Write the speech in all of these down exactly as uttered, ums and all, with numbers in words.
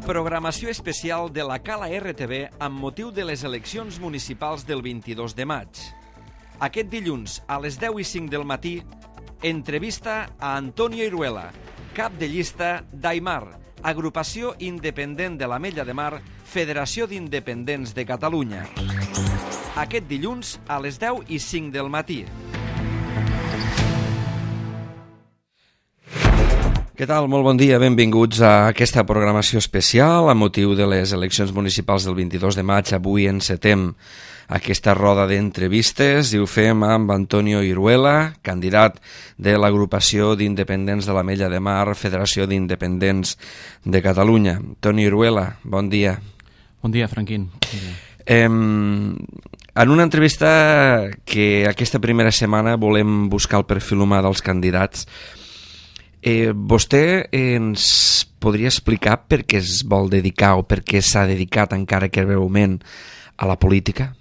Programació especial de la Cala R T V amb motiu de les eleccions municipals del vint-i-dos de maig. Aquest dilluns, a les deu i cinc del matí, entrevista a Antonio Iruela, cap de llista d'Aimar, agrupació independent de l'Ametlla de Mar, Federació d'Independents de Catalunya. Aquest dilluns, a les deu i cinc del matí. Què tal? Molt bon dia, benvinguts a aquesta programació especial a motiu de les eleccions municipals del vint-i-dos de maig. Avui encetem aquesta roda d'entrevistes i ho fem amb Antonio Iruela, candidat de l'agrupació d'independents de l'Ametlla de Mar, Federació d'Independents de Catalunya. Antonio Iruela, bon dia. Bon dia, Franquín. Bon dia. Eh, en una entrevista que aquesta primera setmana volem buscar el perfil humà dels candidats, Eh, vostè ens podria explicar per què es vol dedicar o per què s'ha dedicat, encara que breument, a la política?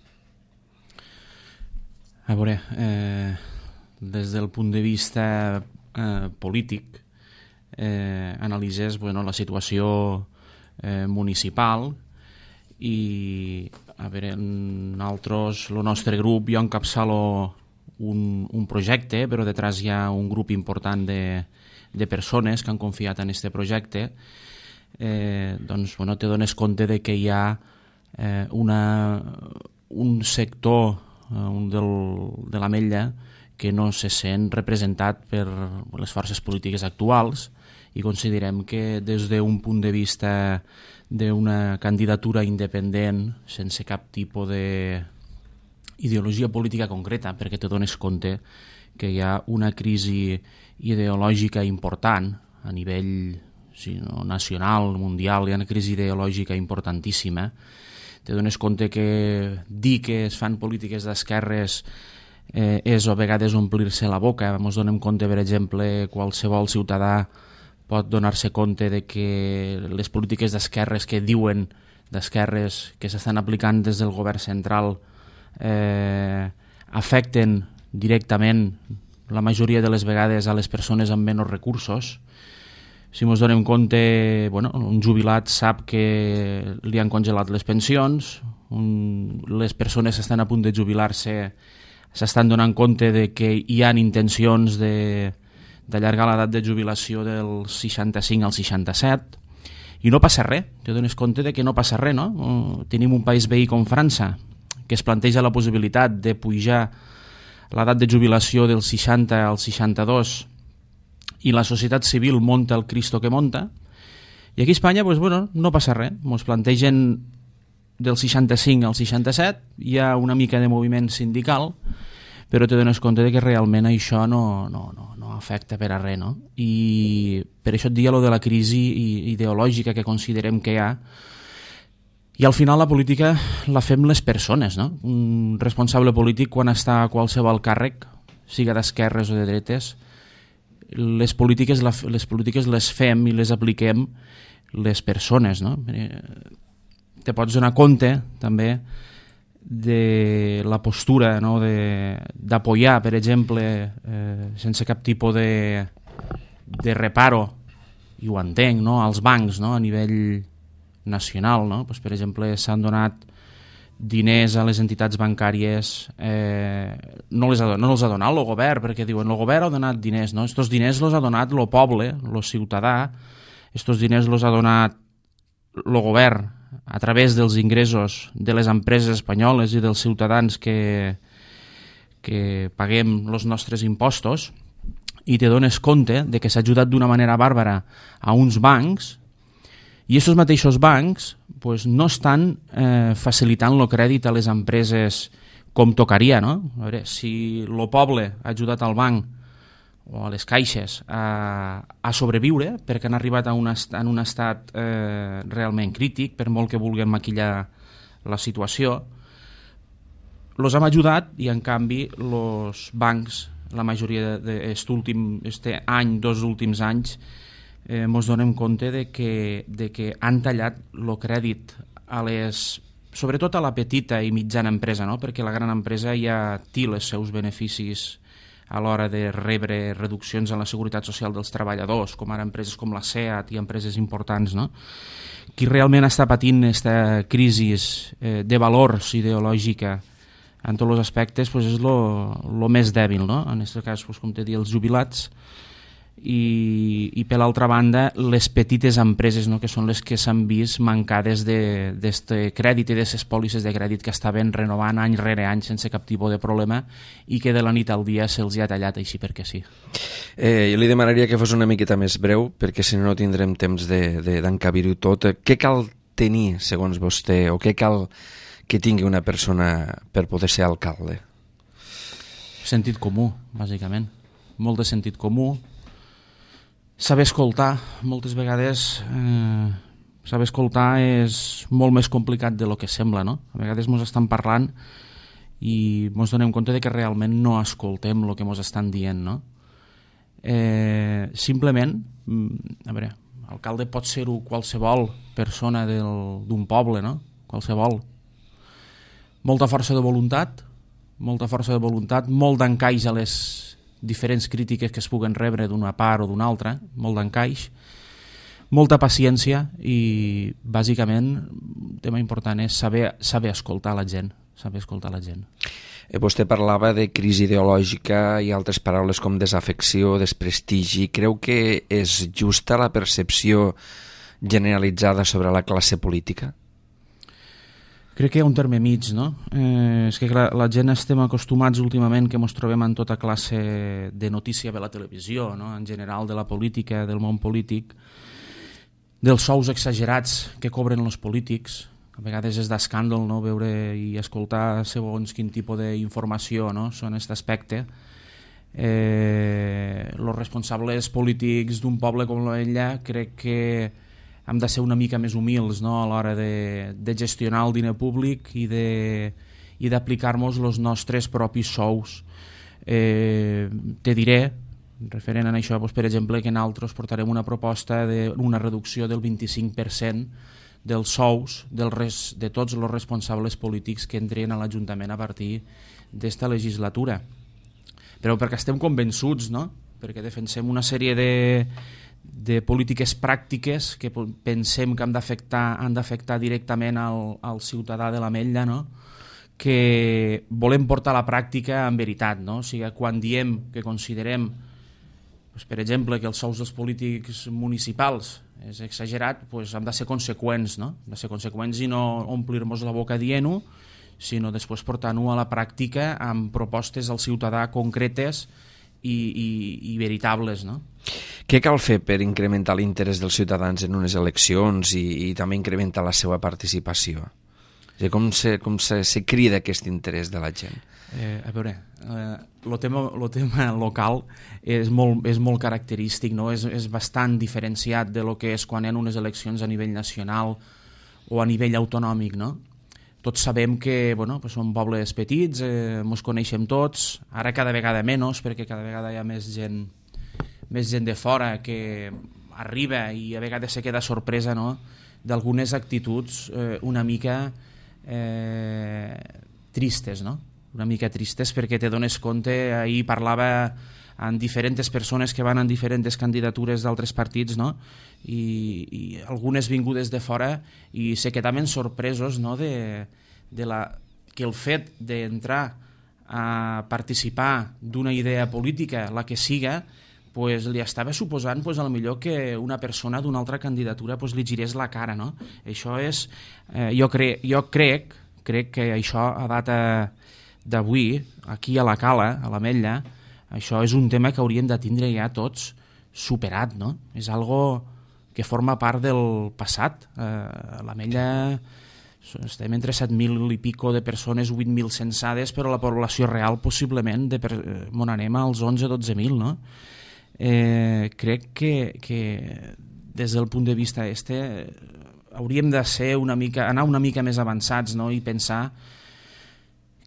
A veure, eh, des del punt de vista eh, polític, eh, analitzes bueno, la situació eh, municipal i, a veure, nosaltres, el nostre grup, jo encapçalo un, un projecte, però detrás hi ha un grup important de de persones que han confiat en aquest projecte, eh, doncs, bueno, te dones compte de que hi ha eh, una, un sector eh, un del, de l'Ametlla que no se sent representat per les forces polítiques actuals i considerem que des d'un punt de vista d'una candidatura independent, sense cap tipus d'ideologia política concreta, perquè te dones compte que hi ha una crisi ideològica important a nivell sí, no, nacional, mundial, hi ha una crisi ideològica importantíssima. Te dones compte que dir que es fan polítiques d'esquerres eh, és a vegades omplir-se la boca. Ens donem compte, per exemple, qualsevol ciutadà pot donar-se compte de que les polítiques d'esquerres que diuen d'esquerres que s'estan aplicant des del govern central eh, afecten directament la majoria de les vegades a les persones amb menys recursos. Si ens donem compte, bueno, un jubilat sap que li han congelat les pensions, un, les persones que estan a punt de jubilar-se s'estan donant compte de que hi ha intencions de, d'allargar l'edat de jubilació del seixanta-cinc al seixanta-set, i no passa res, te dones compte de que no passa res, no? Tenim un país veí com França, que es planteja la possibilitat de pujar l'edat de jubilació del seixanta al seixanta-dos i la societat civil monta el Cristo que monta, i aquí a Espanya pues, bueno, no passa res, ens plantegen del seixanta-cinc al seixanta-set, hi ha una mica de moviment sindical, però te dones compte de que realment això no, no, no, no afecta per a res, no? I per això et dia lo de la crisi ideològica que considerem que hi ha. I al final la política la fem les persones, no? Un responsable polític quan està a qualsevol càrrec, siga d'esquerres o de dretes, les polítiques, les polítiques les fem i les apliquem les persones, no? Te pots donar compte també de la postura, no? d'apoyar, per exemple, eh, sense cap tipus de, de reparo, i ho entenc, no? als bancs, no? a nivell nacional, no? Pues, per exemple, s'han donat diners a les entitats bancàries, eh, no, les ha, no els ha donat el govern, perquè diuen el govern ha donat diners, no? Estos diners els ha donat el poble, el ciutadà, estos diners els ha donat el govern a través dels ingressos de les empreses espanyoles i dels ciutadans que, que paguem els nostres impostos, i te dones compte de que s'ha ajudat d'una manera bàrbara a uns bancs. I aquests mateixos bancs pues, no estan eh, facilitant el crèdit a les empreses com tocaria, no? A veure, si el poble ha ajudat al banc o a les caixes a, a sobreviure perquè han arribat a un, est en un estat eh, realment crític, per molt que vulguin maquillar la situació, els hem ajudat i en canvi els bancs, la majoria d'aquest últim este any, dos últims anys, Eh, ens donem compte de que, de que han tallat el crèdit a les, sobretot a la petita i mitjana empresa, no? Perquè la gran empresa ja té els seus beneficis a l'hora de rebre reduccions en la seguretat social dels treballadors, com ara empreses com la SEAT i empreses importants, no? Qui realment està patint aquesta crisi eh, de valors ideològica en tots els aspectes pues és el més dèbil, no? En aquest cas, pues, com te dic, els jubilats, i, i per l'altra banda les petites empreses, no? Que són les que s'han vist mancades d'aquest crèdit i d'aquestes pòlisses de crèdit que estaven renovant any rere any sense cap tipus de problema i que de la nit al dia se'ls ha tallat així perquè sí. Eh, jo li demanaria que fos una miqueta més breu perquè si no no tindrem temps d'encabir-ho tot. Què cal tenir, segons vostè, o què cal que tingui una persona per poder ser alcalde? Sentit comú, bàsicament. Molt de sentit comú. Saber escoltar, moltes vegades eh, saber escoltar és molt més complicat de lo que sembla, no? A vegades ens estan parlant i ens donem compte de que realment no escoltem el que ens estan dient, no? Eh, simplement, a veure, alcalde pot ser-ho qualsevol persona d'un poble, no? Qualsevol. Molta força de voluntat, molta força de voluntat, molt d'encaix a les diferents crítiques que es puguen rebre d'una part o d'una altra, molt d'encaix, molta paciència i bàsicament un tema important és saber, saber escoltar la gent, saber escoltar la gent. Eh, vostè parlava de crisi ideològica i altres paraules com desafecció, desprestigi. Creu que és justa la percepció generalitzada sobre la classe política? Crec que hi ha un terme mig, no? Eh, és que clar, la gent estem acostumats últimament que ens trobem en tota classe de notícia de la televisió, no? En general de la política, del món polític, dels sous exagerats que cobren els polítics. A vegades és d'escàndol, no? Veure i escoltar segons quin tipus d'informació, no? Són aquest aspecte. Eh, els responsables polítics d'un poble com l'Ella crec que hem de ser una mica més humils, no? A l'hora de, de gestionar el diner públic i d'aplicar-nos els nostres propis sous. Eh, te diré, referent a això, doncs, per exemple, que nosaltres portarem una proposta d'una reducció del vint-i-cinc per cent dels sous del res, de tots els responsables polítics que entren a l'Ajuntament a partir d'esta legislatura. Però perquè estem convençuts, no? Perquè defensem una sèrie de de polítiques pràctiques que pensem que han d'afectar han d'afectar directament al, al ciutadà de l'Ametlla, no? Que volem portar a la pràctica en veritat, no? O sigui, quan diem que considerem, doncs, per exemple, que els sous dels polítics municipals és exagerat, doncs hem de ser conseqüents, no? Hem de ser conseqüents i no omplir-nos la boca dient-ho, sinó després portant-ho a la pràctica amb propostes al ciutadà concretes i, i, i veritables, no? Què cal fer per incrementar l'interès dels ciutadans en unes eleccions i, i també incrementar la seva participació? O sigui, com se, com se, se crida aquest interès de la gent? Eh, a veure, eh, el tema, lo tema local és molt, és molt característic, no? És, és bastant diferenciat de lo que és quan hi ha unes eleccions a nivell nacional o a nivell autonòmic, no? Tots sabem que bueno, pues som pobles petits, eh, ens coneixem tots, ara cada vegada menys perquè cada vegada hi ha més gent més gent de fora que arriba i a vegades se queda sorpresa, no? D'algunes actituds eh, una mica eh, tristes, no? Una mica tristes perquè te dones compte, ahir parlava amb diferents persones que van en diferents candidatures d'altres partits, no? I, i algunes vingudes de fora i se quedaven sorpresos, no? de, de la, que el fet d'entrar a participar d'una idea política, la que siga, pues, li estava suposant pues, a lo millor que una persona d'una altra candidatura pues, li girés la cara, no? Això és, eh, jo, cre jo crec, crec que això a data d'avui, aquí a la Cala, a l'Ametlla, això és un tema que hauríem de tindre ja tots superat, no? És algo que forma part del passat. Eh, a l'Ametlla estem entre set mil i pico de persones, vuit mil censades, però la població real possiblement de per, eh, on anem als onze o dotze mil, no? Eh, crec que, que des del punt de vista este hauríem de ser una mica, anar una mica més avançats, no? I pensar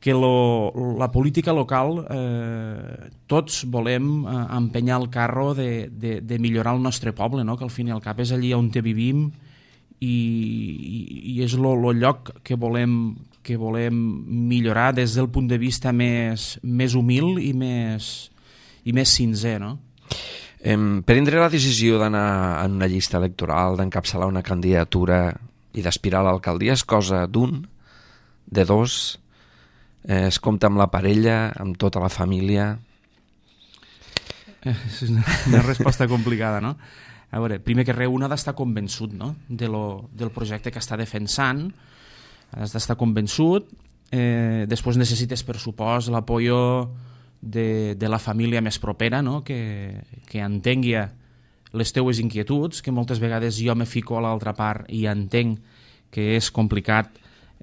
que lo, la política local eh, tots volem eh, empenyar el carro de, de, de millorar el nostre poble, no? Que al fin i al cap és allí on te vivim i, i, i és lo, lo lloc que volem, que volem millorar des del punt de vista més, més humil i més, i més sincer, no? Eh, prendre la decisió d'anar en una llista electoral, d'encapçalar una candidatura i d'aspirar a l'alcaldia és cosa d'un, de dos, eh, es compta amb la parella, amb tota la família... És una, una resposta complicada, no? A veure, primer que res, un ha d'estar convençut, no? de lo, del projecte que està defensant, has d'estar convençut, eh, després necessites, per supost, l'apoyo de, de la família més propera, no? que, que entengui les teues inquietuds, que moltes vegades jo me fico a l'altra part i entenc que és complicat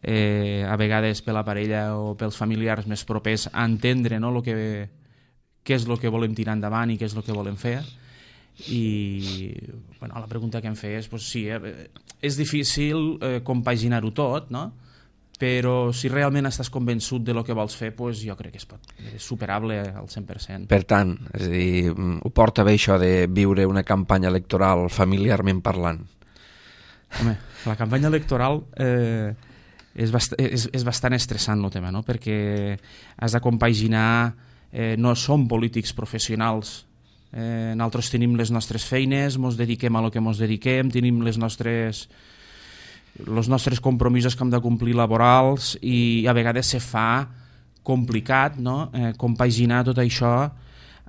eh, a vegades per la parella o pels familiars més propers entendre, no? lo que què és el que volem tirar endavant i què és el que volem fer. I bueno, la pregunta que em feies, doncs sí, eh, és difícil eh, compaginar-ho tot, no? Però si realment estàs convençut de lo que vols fer, doncs jo crec que és, pot, és superable al cent per cent. Per tant, és a dir, ho porta bé això de viure una campanya electoral familiarment parlant? Home, la campanya electoral eh, és, bast és, és bastant estressant el tema, no? Perquè has de compaginar. Eh, no som polítics professionals, eh, nosaltres tenim les nostres feines, ens dediquem a lo que ens dediquem, tenim les nostres els nostres compromisos que hem de complir laborals i a vegades se fa complicat, no? eh, compaginar tot això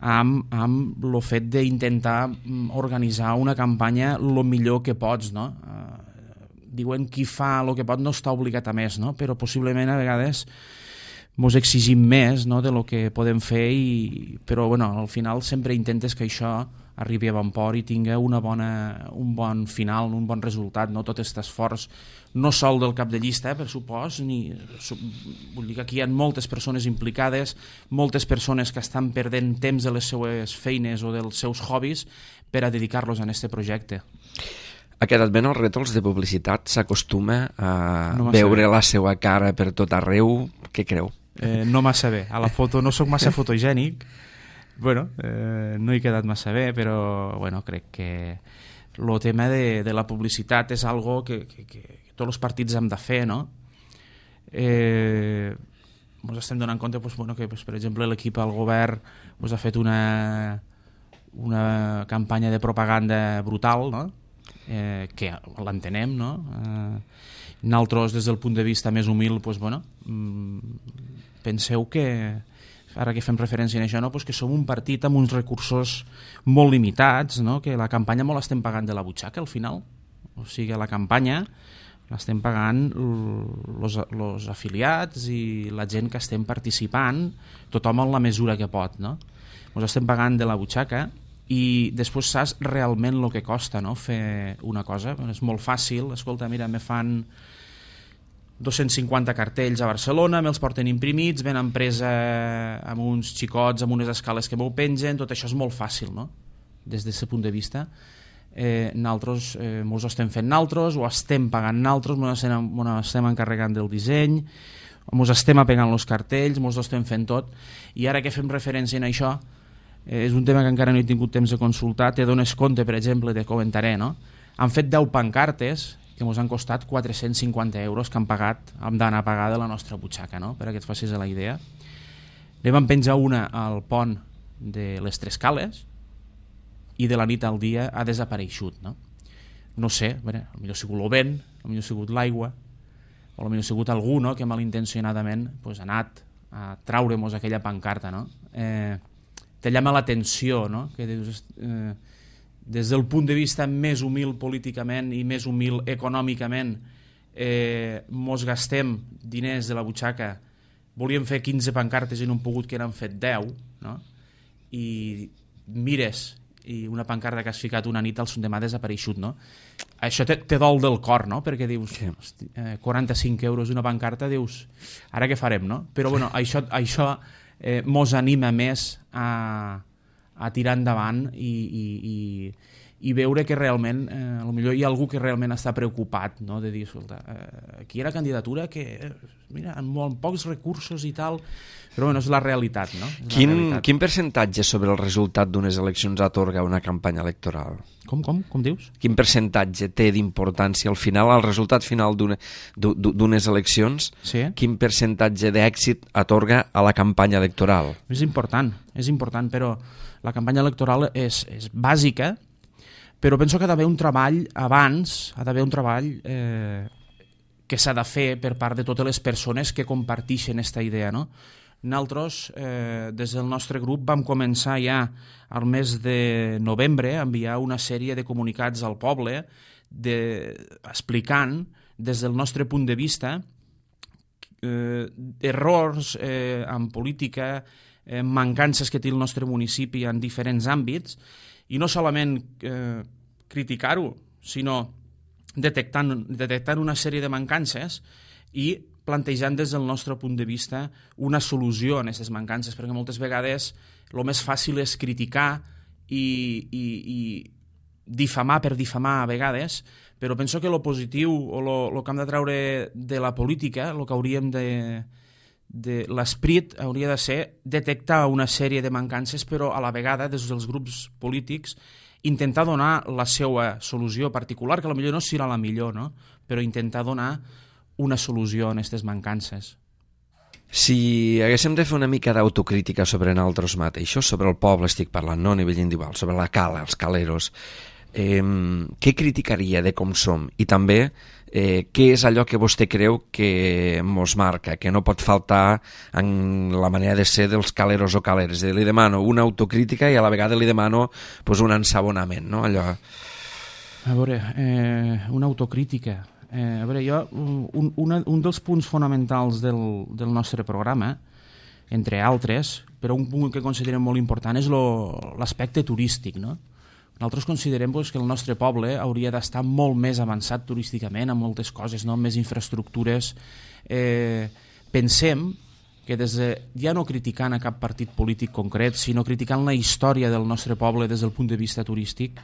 amb, amb el fet d'intentar organitzar una campanya el millor que pots, no? Eh, diuen qui fa el que pot no està obligat a més, no? Però possiblement a vegades ens exigim més, no? de lo que podem fer, i... però bueno, al final sempre intentes que això arribi a bon port i tingui una bona, un bon final, un bon resultat, no? Tot aquest esforç, no sol del cap de llista, eh, per supòs, ni... vull dir que aquí hi ha moltes persones implicades, moltes persones que estan perdent temps de les seues feines o dels seus hobbies per a dedicar-los a aquest projecte. Ha quedat ben els rètols de publicitat? S'acostuma a no veure la seva cara per tot arreu? Què creu? Eh, no massa bé. A la foto no sóc massa fotogènic. Bueno, eh, no he quedat massa bé, però bueno, crec que el tema de, de la publicitat és algo que, que, que tots els partits hem de fer, no? Eh, ens estem donant compte pues, bueno, que, pues, per exemple, l'equip al govern pues, ha fet una, una campanya de propaganda brutal, no? Eh, que l'entenem, no? Eh, nosaltres, des del punt de vista més humil, pues, bueno, penseu que, ara que fem referència a això, no? pues que som un partit amb uns recursos molt limitats, no? Que la campanya molt l'estem pagant de la butxaca, al final. O sigui, la campanya l'estem pagant els afiliats i la gent que estem participant, tothom en la mesura que pot, no? Ens estem pagant de la butxaca i després saps realment el que costa, no? Fer una cosa. És molt fàcil, escolta, mira, me fan dos-cents cinquanta cartells a Barcelona, me'ls porten imprimits, venen presa amb uns xicots, amb unes escales que m'ho pengen, tot això és molt fàcil, no? Des d'aquest punt de vista. Eh, nosaltres eh, mos ho estem fent nosaltres, ho estem pagant nosaltres, mos estem, mos estem encarregant del disseny, mos estem apegant els cartells, mos ho estem fent tot, i ara que fem referència a això, eh, és un tema que encara no he tingut temps de consultar, te dones compte, per exemple, te comentaré, no? Han fet deu pancartes que ens han costat quatre-cents cinquanta euros que han pagat, hem d'anar a pagar de la nostra butxaca, no? Per a que et facis la idea. Ne vam penjar una al pont de les Tres Cales i de la nit al dia ha desapareixut, no? No sé, bé, potser ha sigut el vent, potser ha sigut l'aigua, o potser ha sigut algú, no?, que malintencionadament pues, ha anat a traure-nos aquella pancarta, no? Eh, te llama l'atenció, no?, que dius... Eh, des del punt de vista més humil políticament i més humil econòmicament, eh, mos gastem diners de la butxaca, volíem fer quinze pancartes i no hem pogut, que n'han fet deu, no? I mires i una pancarta que has ficat una nit al demà ha desapareixut, no? Això te, te dol del cor, no? Perquè dius, hosti, eh, quaranta-cinc euros una pancarta, dius, ara què farem, no? Però bueno, això, això eh, mos anima més a... a tirar endavant i, i, i, i veure que realment, eh, potser hi ha algú que realment està preocupat, no? De dir, escolta, eh, aquí hi ha la candidatura que, eh, mira, amb molt pocs recursos i tal, però bueno, és la realitat, no? És quin, la realitat. Quin percentatge sobre el resultat d'unes eleccions atorga una campanya electoral? Com, com? Com dius? Quin percentatge té d'importància al final, al resultat final d'unes eleccions? Sí. Quin percentatge d'èxit atorga a la campanya electoral? És important, és important, però la campanya electoral és, és bàsica, però penso que ha d'haver un treball abans, ha d'haver un treball eh, que s'ha de fer per part de totes les persones que comparteixen aquesta idea, no? Nosaltres, eh, des del nostre grup, vam començar ja al mes de novembre a enviar una sèrie de comunicats al poble de, explicant, des del nostre punt de vista, eh, errors eh, en política, eh, mancances que té el nostre municipi en diferents àmbits, i no solament eh, criticar-ho, sinó detectant, detectant una sèrie de mancances i plantejant des del nostre punt de vista una solució a aquestes mancances, perquè moltes vegades el més fàcil és criticar i, i, i difamar per difamar a vegades, però penso que el positiu o el que hem de treure de la política, el que hauríem de... de l'esprit hauria de ser detectar una sèrie de mancances, però a la vegada, des dels grups polítics, intentar donar la seva solució particular, que potser no serà la millor, no? Però intentar donar una solució a aquestes mancances. Si haguéssim de fer una mica d'autocrítica sobre nosaltres mateixos, sobre el poble estic parlant, no a nivell individual, sobre la cala, els caleros, eh, què criticaria de com som? I també eh, què és allò que vostè creu que mos marca, que no pot faltar en la manera de ser dels caleros o caleres? Li demano una autocrítica i a la vegada li demano pues, un ensabonament, no? Allò... A veure, eh, una autocrítica... Eh, a veure, jo, un, una, un dels punts fonamentals del, del nostre programa, entre altres, però un punt que considerem molt important és l'aspecte turístic, no? Nosaltres considerem pues, que el nostre poble hauria d'estar molt més avançat turísticament en moltes coses, no? Amb més infraestructures. Eh, pensem que des de, ja no criticant a cap partit polític concret, sinó criticant la història del nostre poble des del punt de vista turístic,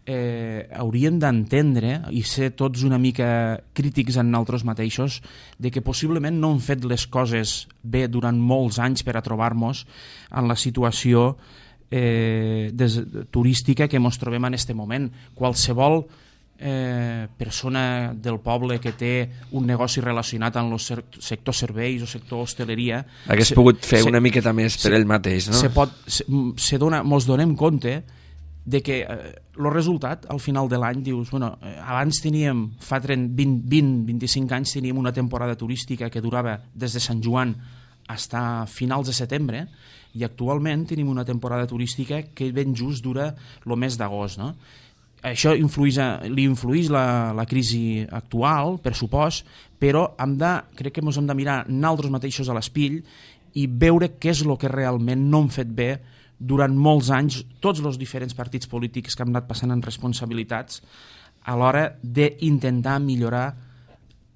eh, hauríem d'entendre i ser tots una mica crítics en nosaltres mateixos de que possiblement no hem fet les coses bé durant molts anys per a trobar-nos en la situació eh, des, turística que ens trobem en aquest moment. Qualsevol eh, persona del poble que té un negoci relacionat amb el sector serveis o sector hostaleria hagués se, pogut fer se, una miqueta més per se, ell mateix, no? Se pot, se, se dona, mos donem compte de que el eh, resultat al final de l'any dius, bueno, eh, abans teníem fa vint, vint, vint-i-cinc anys teníem una temporada turística que durava des de Sant Joan fins a finals de setembre i actualment tenim una temporada turística que ben just dura el mes d'agost, no? Això influïs, li influïx la, la crisi actual, per supost, però hem de, crec que ens hem de mirar nosaltres mateixos a l'espill i veure què és el que realment no hem fet bé durant molts anys, tots els diferents partits polítics que han anat passant en responsabilitats a l'hora d'intentar millorar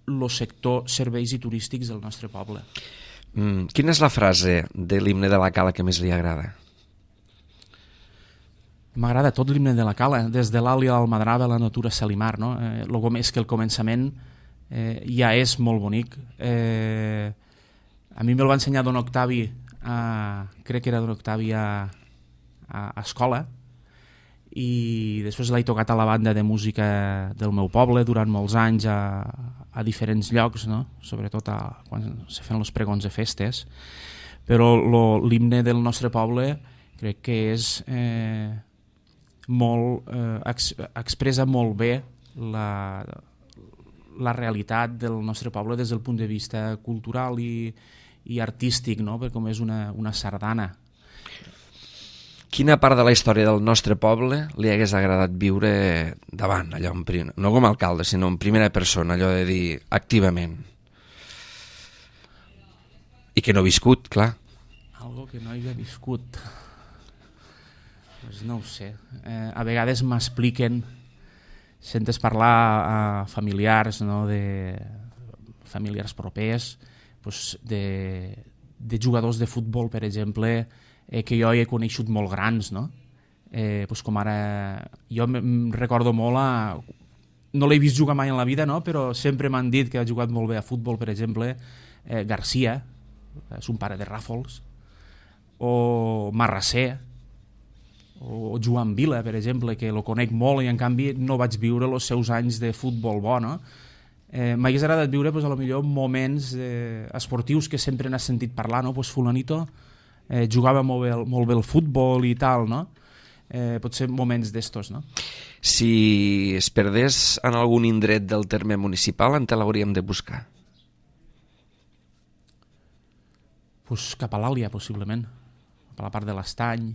el sector serveis i turístics del nostre poble. Mm, quina és la frase de l'himne de la Cala que més li agrada? M'agrada tot l'himne de la Cala, des de l'Àlia a l'Almadrava, la natura Salimar, no? Eh, el és que el començament eh, ja és molt bonic. Eh, a mi me'l va ensenyar Don Octavi, a, crec que era Don Octavi a, a, a escola, i després l'he tocat a la banda de música del meu poble durant molts anys a, a diferents llocs, no? Sobretot a, quan se fan els pregons de festes, però l'himne del nostre poble crec que és eh, molt, eh, ex, expressa molt bé la, la realitat del nostre poble des del punt de vista cultural i, i artístic, no? Perquè com és una, una sardana. Quina part de la història del nostre poble li hagués agradat viure davant, allò en prim... no com a alcalde, sinó en primera persona, allò de dir activament? I que no ha viscut, clar. Algo que no havia viscut... Pues no ho sé. Eh, a vegades m'expliquen, sentes parlar a familiars, no? De familiars propers, pues de, de jugadors de futbol, per exemple, eh, que jo he coneixut molt grans, no? eh, pues com ara... Jo em recordo molt a... No l'he vist jugar mai en la vida, no? Però sempre m'han dit que ha jugat molt bé a futbol, per exemple, eh, Garcia, és un pare de Ràfols, o Marrasser, o Joan Vila, per exemple, que lo conec molt i en canvi no vaig viure els seus anys de futbol bo, no? Eh, M'hagués agradat viure, pues, a lo millor moments eh, esportius que sempre n'has sentit parlar, no? Pues fulanito eh, jugava molt bé, molt bé el futbol i tal, no? Eh, potser moments d'estos, no? Si es perdés en algun indret del terme municipal, on te l'hauríem de buscar? Pues cap a l'Àlia, possiblement. Cap a la part de l'Estany,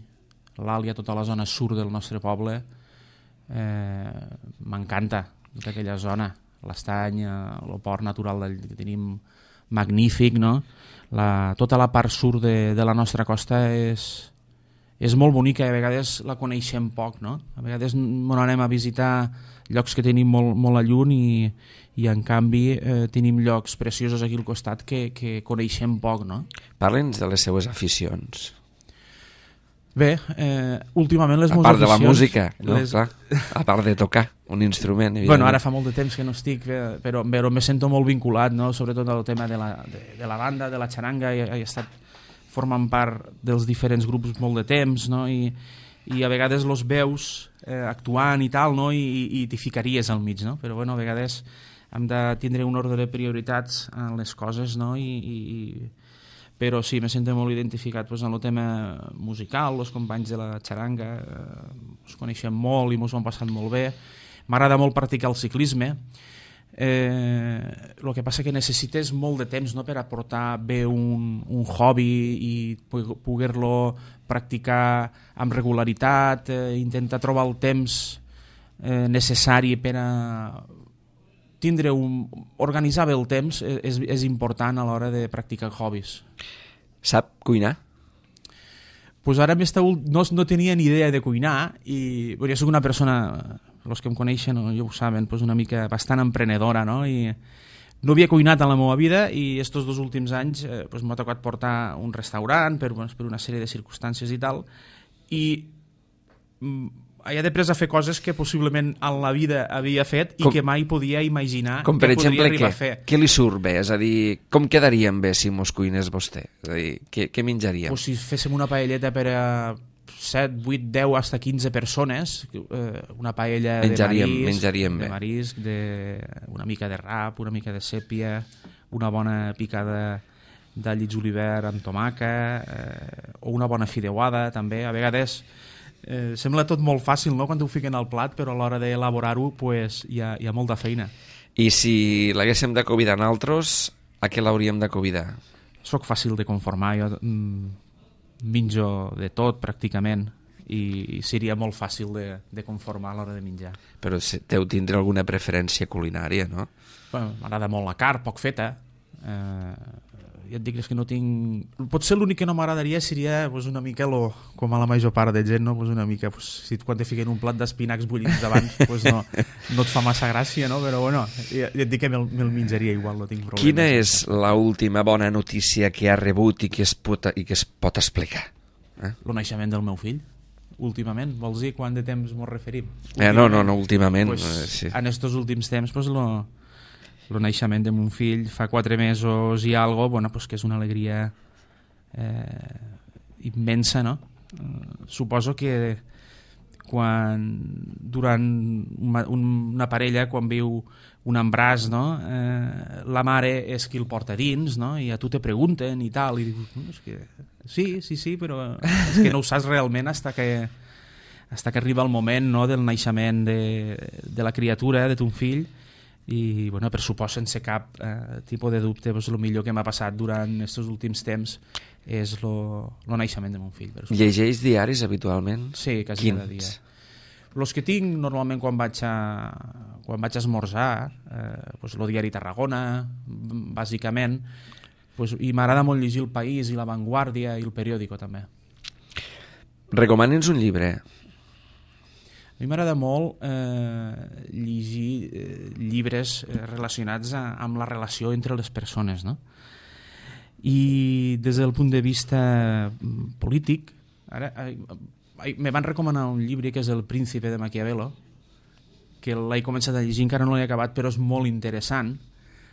l'Àlia, tota la zona sud del nostre poble. Eh, M'encanta tota aquella zona. L'Estany, eh, el port natural del, que tenim magnífic, no? La, tota la part sud de, de la nostra costa és... és molt bonica i a vegades la coneixem poc, no? A vegades ens anem a visitar llocs que tenim molt, molt a lluny i, i en canvi eh, tenim llocs preciosos aquí al costat que, que coneixem poc, no? Parla'ns de les seues aficions. Bé, eh, últimament les meves aficions... A part de la música, no? Les... Clar. A part de tocar un instrument, evidentment. Bueno, ara fa molt de temps que no estic, però, però me sento molt vinculat, no? Sobretot al tema de la, de, de la banda, de la xaranga, i he estat formen part dels diferents grups molt de temps, no? I, i a vegades los veus eh, actuant i tal, no? I, i, i t'hi ficaries al mig, no? Però bueno, a vegades hem de tindre un ordre de prioritats en les coses, no? I, i, però sí, me sento molt identificat pues, en el tema musical, els companys de la xaranga, eh, els coneixem molt i ens ho hem passat molt bé. M'agrada molt practicar el ciclisme. Eh, el que passa que necessites molt de temps, no?, per aportar bé un, un hobby i poder-lo practicar amb regularitat, eh, intentar trobar el temps eh, necessari per a tindre un... organitzar bé el temps és, és important a l'hora de practicar hobbies. Sap cuinar? Pues ara no, no tenia ni idea de cuinar i bueno, jo soc una persona, els que em coneixen o ja ho saben, pues una mica bastant emprenedora, no? I no havia cuinat en la meva vida i estos dos últims anys eh, pues m'ha tocat portar un restaurant per, bueno, per una sèrie de circumstàncies i tal, i he après a fer coses que possiblement en la vida havia fet i com, que mai podia imaginar com per que exemple, podria arribar què? a fer. Què li surt bé? És a dir, com quedaríem bé si mos cuinés vostè? És a dir, què, què menjaríem? Pues si féssim una paelleta per a set, vuit, deu, hasta quinze persones, eh, una paella menjaríem, de marisc, menjaríem de bé. marisc, de, una mica de rap, una mica de sèpia, una bona picada d'all i julivert amb tomaca, eh, o una bona fideuada, també. A vegades eh, sembla tot molt fàcil, no?, quan t'ho fiquen al plat, però a l'hora d'elaborar-ho pues, hi, ha, hi ha molta feina. I si l'haguéssim de convidar nosaltres, a què l'hauríem de convidar? Soc fàcil de conformar, jo mm, menjo de tot pràcticament i seria molt fàcil de, de conformar a l'hora de menjar. Però deu tindre alguna preferència culinària, no? Bueno, m'agrada molt la carn, poc feta. Eh, ja et dic que no tinc... Potser l'únic que no m'agradaria seria pues, una mica, lo, com a la major part de gent, no? Pues una mica, pues, si quan te fiquen un plat d'espinacs bullits davant, pues no, no et fa massa gràcia, no? Però bueno, ja, ja et dic que me'l me menjaria igual, no tinc problema. Quina és l'última bona notícia que ha rebut i que es pot, i que es pot explicar? Eh? El naixement del meu fill, últimament. Vols dir quant de temps m'ho referim? Eh, no, no, no, últimament. Pues, eh, sí. En estos últims temps, pues, lo... el naixement de mon fill fa quatre mesos i algo, bueno, pues que és una alegria eh, immensa, no? Eh, suposo que quan durant una, una parella, quan viu un embràs, no? Eh, la mare és qui el porta dins, no? I a tu te pregunten i tal, i dius, no, és que sí, sí, sí, però és que no ho saps realment hasta que, hasta que arriba el moment, no?, del naixement de, de la criatura, de ton fill. I bueno, per supost, sense cap eh, tipus de dubte, pues, el millor que m'ha passat durant aquests últims temps és el naixement de mon fill. Llegeix diaris habitualment? Sí, quasi cada dia. Els que tinc normalment quan vaig a, quan vaig a esmorzar, eh, pues, el diari Tarragona, bàsicament, pues, i m'agrada molt llegir El País i La Vanguardia i El Periódico també. Recomani'ns un llibre. A mi m'agrada molt eh, llegir eh, llibres eh, relacionats a, amb la relació entre les persones, no? I des del punt de vista polític, ara, eh, me van recomanar un llibre que és El príncipe de Maquiavelo, que l'he començat a llegir, encara no l'he acabat, però és molt interessant.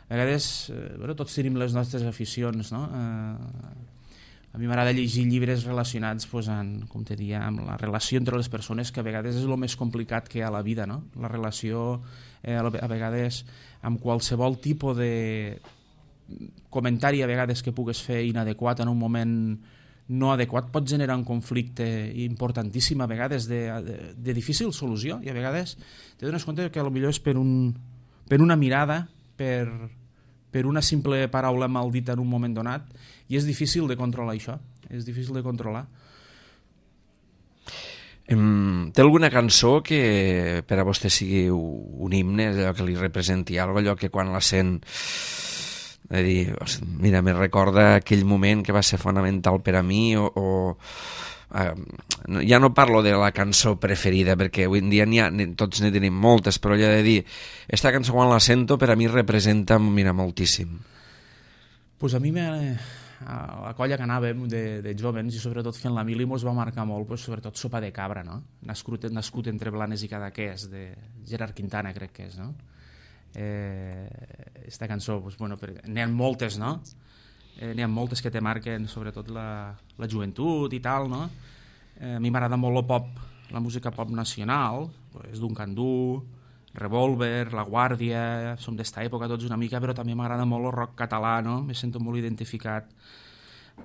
A vegades, eh, bueno, tots tenim les nostres aficions, no? Eh, a mi m'agrada llegir llibres relacionats pues, en, com te dia, amb la relació entre les persones, que a vegades és el més complicat que hi ha a la vida, no? La relació, eh, a vegades, amb qualsevol tipus de comentari a vegades que pugues fer inadequat en un moment no adequat pot generar un conflicte importantíssim, a vegades de, de, de difícil solució, i a vegades te dones compte que potser és per, un, per una mirada, per, per una simple paraula mal dita en un moment donat, i és difícil de controlar això, és difícil de controlar. Um, té alguna cançó que per a vostè sigui un himne, allò que li representi alguna cosa, allò que quan la sent de dir, mira, me recorda aquell moment que va ser fonamental per a mi, o, o uh, ja no parlo de la cançó preferida, perquè avui en dia n'hi ha, tots ne tenim moltes, però ja de dir, esta cançó quan la sento per a mi representa, mira, moltíssim. Pues a mi me, a la colla que anàvem de, de jovens, i sobretot fent la mili, mos va marcar molt, pues, sobretot Sopa de Cabra, no? Nascut, nascut entre Blanes i Cadaqués, de Gerard Quintana, crec que és, no? Eh, esta cançó, pues, bueno, n'hi ha moltes, no? Eh, n'hi ha moltes que te marquen sobretot la, la joventut i tal, no? Eh, a mi m'agrada molt el pop, la música pop nacional, pues, Duncan Du, Revolver, La Guàrdia, som d'esta època tots una mica, però també m'agrada molt el rock català, no? Me sento molt identificat.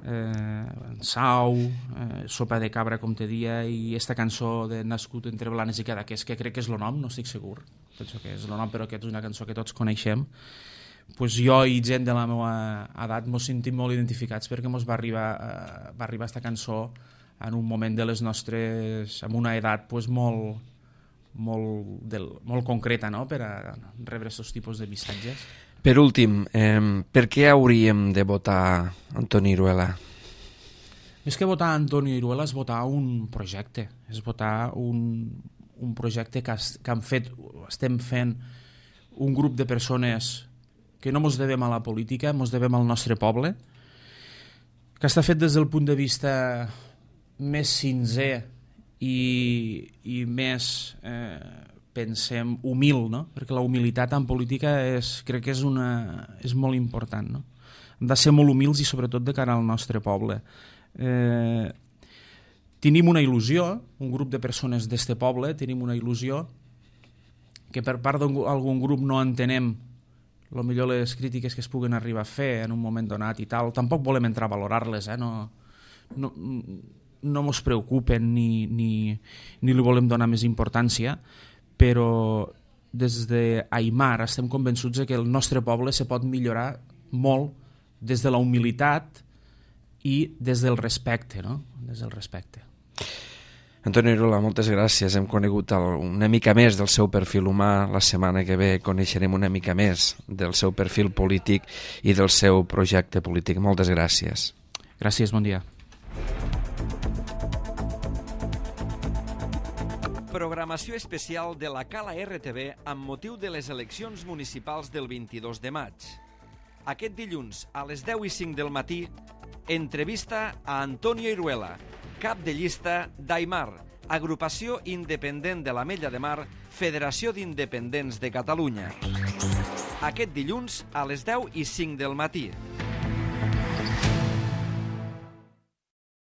Eh, Sau, eh, Sopa de Cabra, com te dia, i esta cançó de Nascut entre Blanes i Cadaqués, que crec que és el nom, no estic segur, penso que és el nom, però que és una cançó que tots coneixem. Pues jo i gent de la meva edat mos sentim molt identificats, perquè mos va arribar, eh, va arribar esta cançó en un moment de les nostres, amb una edat pues, molt, molt, del, molt concreta, no?, per a rebre aquests tipus de missatges. Per últim, eh, per què hauríem de votar Antoni Iruela? Més que votar Antoni Iruela és votar un projecte, és votar un, un projecte que, has, que han fet, estem fent un grup de persones que no mos devem a la política, mos devem al nostre poble, que està fet des del punt de vista més sincer i, i més, eh, pensem, humil, no? Perquè la humilitat en política és, crec que és, una, és molt important, no? Hem de ser molt humils i sobretot de cara al nostre poble. Eh, tenim una il·lusió, un grup de persones d'este poble, tenim una il·lusió que per part d'algun grup no entenem lo millor les crítiques que es puguen arribar a fer en un moment donat i tal. Tampoc volem entrar a valorar-les, eh? No, no, no mos preocupen ni, ni, ni li volem donar més importància, però des d'Aimar estem convençuts que el nostre poble se pot millorar molt des de la humilitat i des del respecte, no? Des del respecte. Antoni Iruela, moltes gràcies. Hem conegut el, una mica més del seu perfil humà. La setmana que ve coneixerem una mica més del seu perfil polític i del seu projecte polític. Moltes gràcies. Gràcies, bon dia. Programació especial de la Cala R T V amb motiu de les eleccions municipals del vint-i-dos de maig. Aquest dilluns, a les deu i cinc del matí, entrevista a Antonio Iruela, cap de llista d'Aimar, agrupació independent de l'Ametlla de Mar, Federació d'Independents de Catalunya. Aquest dilluns, a les deu i cinc del matí.